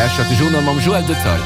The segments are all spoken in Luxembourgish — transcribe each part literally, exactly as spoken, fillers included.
Lauschtert de Journal mam Joël Detaille.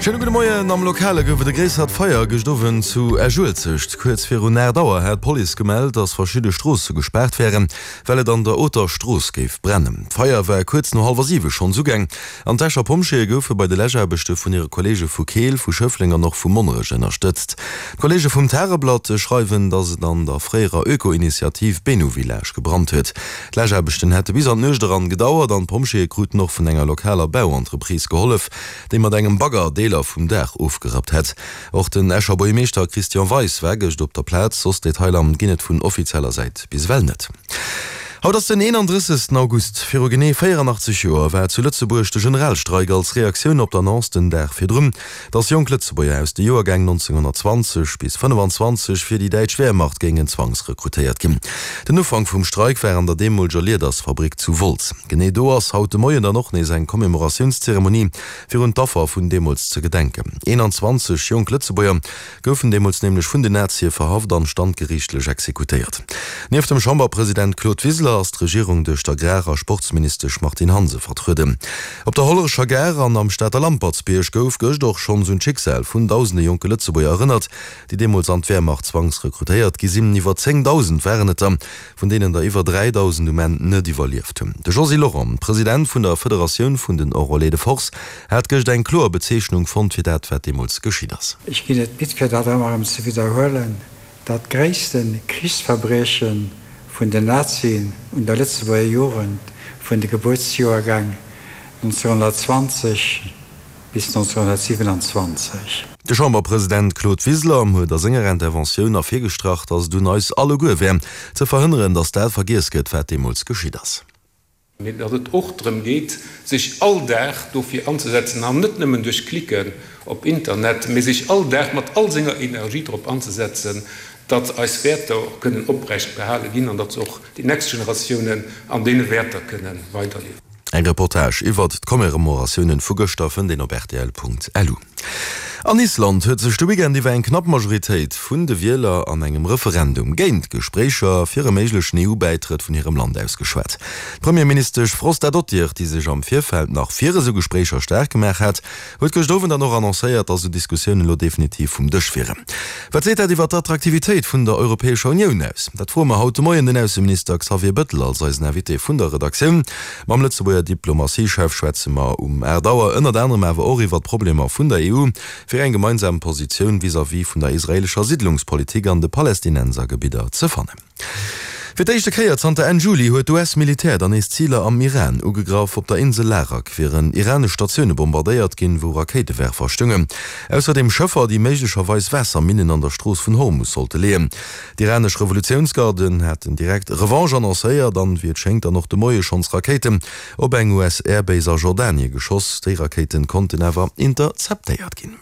Schéine gudde Moien. Am Lokale gouf et e gréissert Feier gëscht Owend zu Esch-Uelzecht. Kuerz virun aacht Auer hat d'Police gemellt, datt verschidde Stroosse gespaart wären, well et an der Oter Strooss géif brennen. D'Feier war kuerz no hallwer siwe schonns ugaang an d'Escher Pompjeeë goufe bei de Läschaarbechte vun hire Kolleege vu Keel, vu Schëffleng an och vu Monnerech ënnerstëtzt. D'Kolleege vum Tageblatt schreiwen, datt et an der fréierer Öko-Initiativ Benu-Village gebrannt huet. D'Läschaarbechten hätte bis an d'Nuecht eran gedauert an d'Pompjeeë kruten och vun enger lokaler Bauentreprise gehollef, déi mat engem Bagger Deeler vum Daach ofgerappt hätt. Och den Escher Buergermeeschter Christian Weis war gëscht op der Plaz. Soss Detailer ginn et vun offizieller Säit bis ewell net. Haut ass den eenandrëssegsten August. Viru genee véierandachtzeg Joer war zu Lëtzebuerg de Generalstreik als Reaktioun op d'Annonce den Dag virdrun, datt jonk Lëtzebuerger aus de Joergäng nonzénghonnertzwanzeg bis fënnefanzwanzeg fir déi däitsch Wehrmacht géingen zwangsrekrutéiert ginn. Den Ufank vum Streik war an der deemoleger Liedersfabrik zu Wolz. Genee do ass haut de Moien dann och nees eng Commémoratiounszeremonie, fir un d'Affer vun deemools ze gedenken. Eenanzwanzeg jonk Lëtzebuerger goufen deemools nämlech vun den Nazie verhaft an standgeriichtlech exekutéiert. Nieft dem Chamberpresident Claude Wiseler ass d'Regierung duerch d'Agrar a Sportsministesch Martine Hansen vertrueden. Op der Hollerecher Gare an am Stater Lampertsbierg gouf gëscht och schonns un d'Schicksal vun dausende jonke Lëtzebuerger erënnert, déi deemools an d'Wehrmacht zwangsrekrutéiert gi sinn. Iwwer zéngdausend waren et der, vun deenen der iwwer dräidausend um Enn net iwwerlieft hunn. De Josy Lorent, President vun der Federatioun vun den Enrôlés de Force, hat gëscht eng kloer Bezeechnung fonnt fir dat, wat deemools geschitt ass. Ech ginn et midd fir dat ëmmer erëm ze widderhuelen, dat gréisste Krichsverbrieche vun den Nazien un der Lëtzebuerger Jugend vun de Gebuertsjoergäng nonzénghonnertzwanzeg bis nonzénghonnertsiwenanzwanzeg. De Chamberpresident Claude Wiseler huet a senger Interventioun ervirgestrach, datt et un eis alleguer wär, ze verhënneren, datt dat vergiess gëtt, wat deemools geschitt ass. Mee datt et och drëm geet, sech all Dag dofir anzesetzen, an net nëmmen duerch Klicken op Internet, mee sech all Dag mat all senger Energie drop anzesetzen, datt eis Wäerter och kënnen oprecht behale ginn an datt se och déi nächst Generatiounen an deene Wäerter kënne weiderliewen. Eng Reportage iwwert d'Commemoratiounen vu gëschter fënnt een op rtl.lu. An Island huet sech de Weekend iwwer eng knapp Majoritéit vun de Wieler an engem Referendum géint d'Gespréicher fir e méiglechen E U-Bäitrëtt vun hirem Land ausgeschwat. D'Premierministesch Frostadóttir, déi sech am Virfeld nach fir esou Gespréicher staark gemaach hat, huet gëscht Owend dann och annoncéiert, datt esou Diskussiounen elo definitiv vum Dësch wieren. Wat seet dat iwwer d'Attraktivitéit vun der Europäescher Unioun aus? Dat froe mer haut de Moien den Ausseminister Xavier Bettel als eisen Invité vun der Redaktioun. Mam Lëtzebuerger Diplomatie-Chef schwätze mer um aacht Auer ënnert anerem awer och iwwer d'Problemer vun der E U, fir eng gemeinsam Positioun vis-à-vis vun der israeelescher Siddlungspolitik an de Palästinensergebidder ze fannen. Fir d'éischte Kéier zanter Enn Juli huet d'U S-Militär dann nees Ziler am Iran ugegraff. Op der Insel Larak wieren iranesch Statioune bombardéiert ginn, wou Rakéitewerfer stungen. Ausserdeem Schëffer, déi méiglecherweis Waasserminnen an der Strooss vun Hormus sollte leeën. D'iranesch Revolutiounsgarden haten direkt Revanche annoncéiert an, wéi et schéngt, dann och de Moie schonns Rakéiten op eng U S-Airbase a Jordanie geschoss. Déi Rakéiten konnten awer interceptéiert ginn.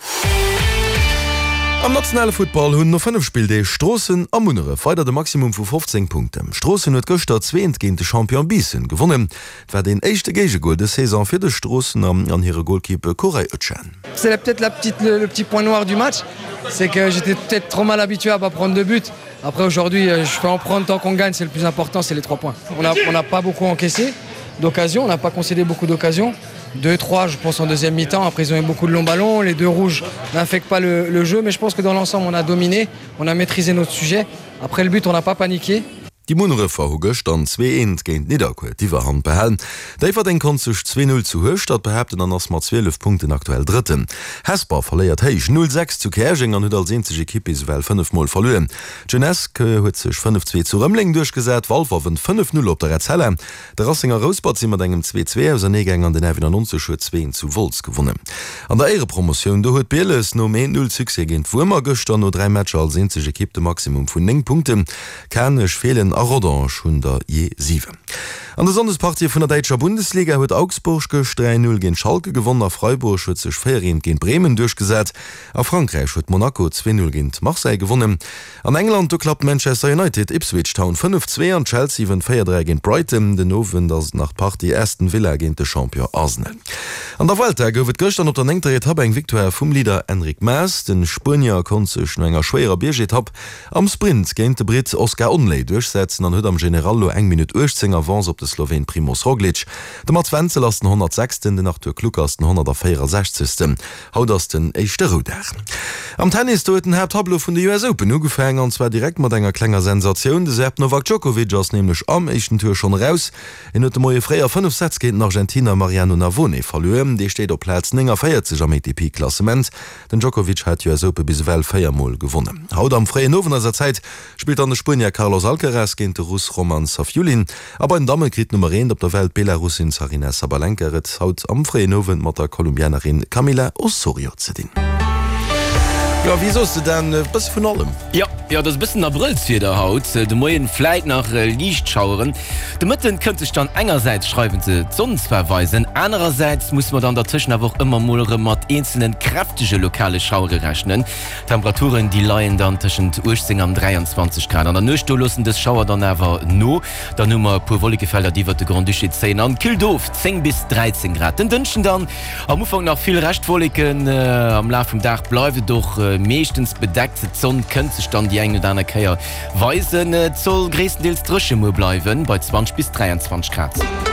Am nationale Futtball hunn no fënnef Spilldeeg Stroossen a Munneref weider de Maximum vu fofzéng Punkten. Stroossen huet gëschter zwee eent géint de Champion Biissen gewonnen. Et war deen éischte Géigegol dës Saison fir de Stroossener an hire Golkipp Koray Özcan. C'est peut-être la petite, le, le petit point noir du match, c'est que j'étais peut-être trop mal habitué à pas prendre de but. Après aujourd'hui, je peux en prendre tant qu'on gagne, c'est le plus important, c'est les trois points. On n'a on n'a pas beaucoup encaissé d'occasions, on n'a pas concédé beaucoup d'occasions. Deux, trois, je pense en deuxième mi-temps. Après, ils ont eu beaucoup de longs ballons. Les deux rouges n'infectent pas le, le jeu, mais je pense que dans l'ensemble, on a dominé, on a maîtrisé notre sujet. Après le but, on n'a pas paniqué. Déi Munnerefer hu gëschter zwee eent géint Nidderkuer d'Iwwerhand behalen. Déifferdeng konnt sech zwee null zu Hueschtert behaapten an ass mat zwielef Punkten aktuell Drëtten. Hesper verléiert héich null sechs zu Käerjeng an huet als eenzeg Ekipp bis ewell fënnef Mol verluer. D'Jeunesse huet sech fënnef zwee zu Rëmeleng duerchgesat, Walfer wënnt fënnef null op der Etzella. De Racing a Rouspert si mat engem zwee zwee auserneegaang an den F nonennegnonzeg huet zwee eent zu Wolz gewonnen. An der Éierepromotioun, do huet Bieles nom eent null Succès géint Wuermer gëschter no dräi Matcher als eenzeg Ekipp de Maximum vun néng Punkten. Kanech, Feelen a Rodange hunn der jee siwen. An de Sonndespartië vun der däitscher Bundesliga huet Augsburg gëscht dräi null géint Schalke gewonnen a Freiburg huet sech véier eent géint Bremen duerchgesat. A Frankräich huet Monaco zwee null géint Marseille gewonnen. An England, do klappt Manchester United Ipswich Town fënnef zwee an Chelsea wënnt véier dräi géint Brighton. Den Owend ass et nach d'Partie Aston Villa géint de Champion Arsenal. An der Vuelta gouf et gëschter op der néngter Etapp eng Victoire vum Leader Enric Mas. De Spuenier konnt sech no enger schwéierer Biergetapp am Sprint géint de Britt Oscar Onley duerchsetzen. duerchsetzen an huet am General elo eng Minutt uechtzéng Avance op de Sloween Primoz Roglic. De Mats Wenzel ass den honnertsechsten, den Arthur Klucker ass den honnertvéierasechzegsten. Haut ass den éischte Roudag. Am Tennis, do huet den Haapttableau vun de U S Open ugefaangen, an zwar direkt mat enger klenger Sensatioun. De Serb Novak Djokovic ass nämlech am éischten Tour schonn eraus. Hien huet de Moie fréi a fënnef Sätz géint den Argentiner Mariano Navone verluer. Dee steet op Plaz néngavéierzeg am A T P-Klassement. Den Djokovic hat d'U S Open bis ewell véier Mol gewonnen. Haut am fréien Owend eiser Zäit spillt dann de Spuenier Carlos Alcaraz géint de Russ Roman Safiullin. A bei den Damme kritt d'Nummer eent op der Welt, d'Belarussin Zarina Sabalenka, et haut am fréien Owend mat der Kolumbianerin Camila Osorio ze dinn. Jo, wéi soos de Dan, e bësse vun allem. Jo, jo, et ass e bëssen Abrëllswieder haut. De Moien vläit nach liicht Schaueren. De Mëtten kënnt sech dann engersäits schreiwen se d'Sonn zwar weisen, anerersäits musse mer dann dertëschent awer och ëmmer mol erëm mat eenzelne kräftege lokale Schauere rechnen. D'Temperaturen, déi leien dann tëschent uechtzéng an dräianzwanzeg Grad. An der Nuecht, do loossen dës Schauer dann awer no. Dann hu mer e puer Wollekefelder, déi iwwert de Grand-Duché zéien an killt of, zéng bis dräizéng Grad. Den Dënschden dann am Ufank nach vill Reschtwolleken, am Laf vum Dag bleift et och meeschtens bedeckt. D'Sonn kënnt sech dann déi eng oder aner Kéier weisen. Et soll gréisstendeels dréche muer bleiwen, bei zwanzeg bis dräianzwanzeg Grad.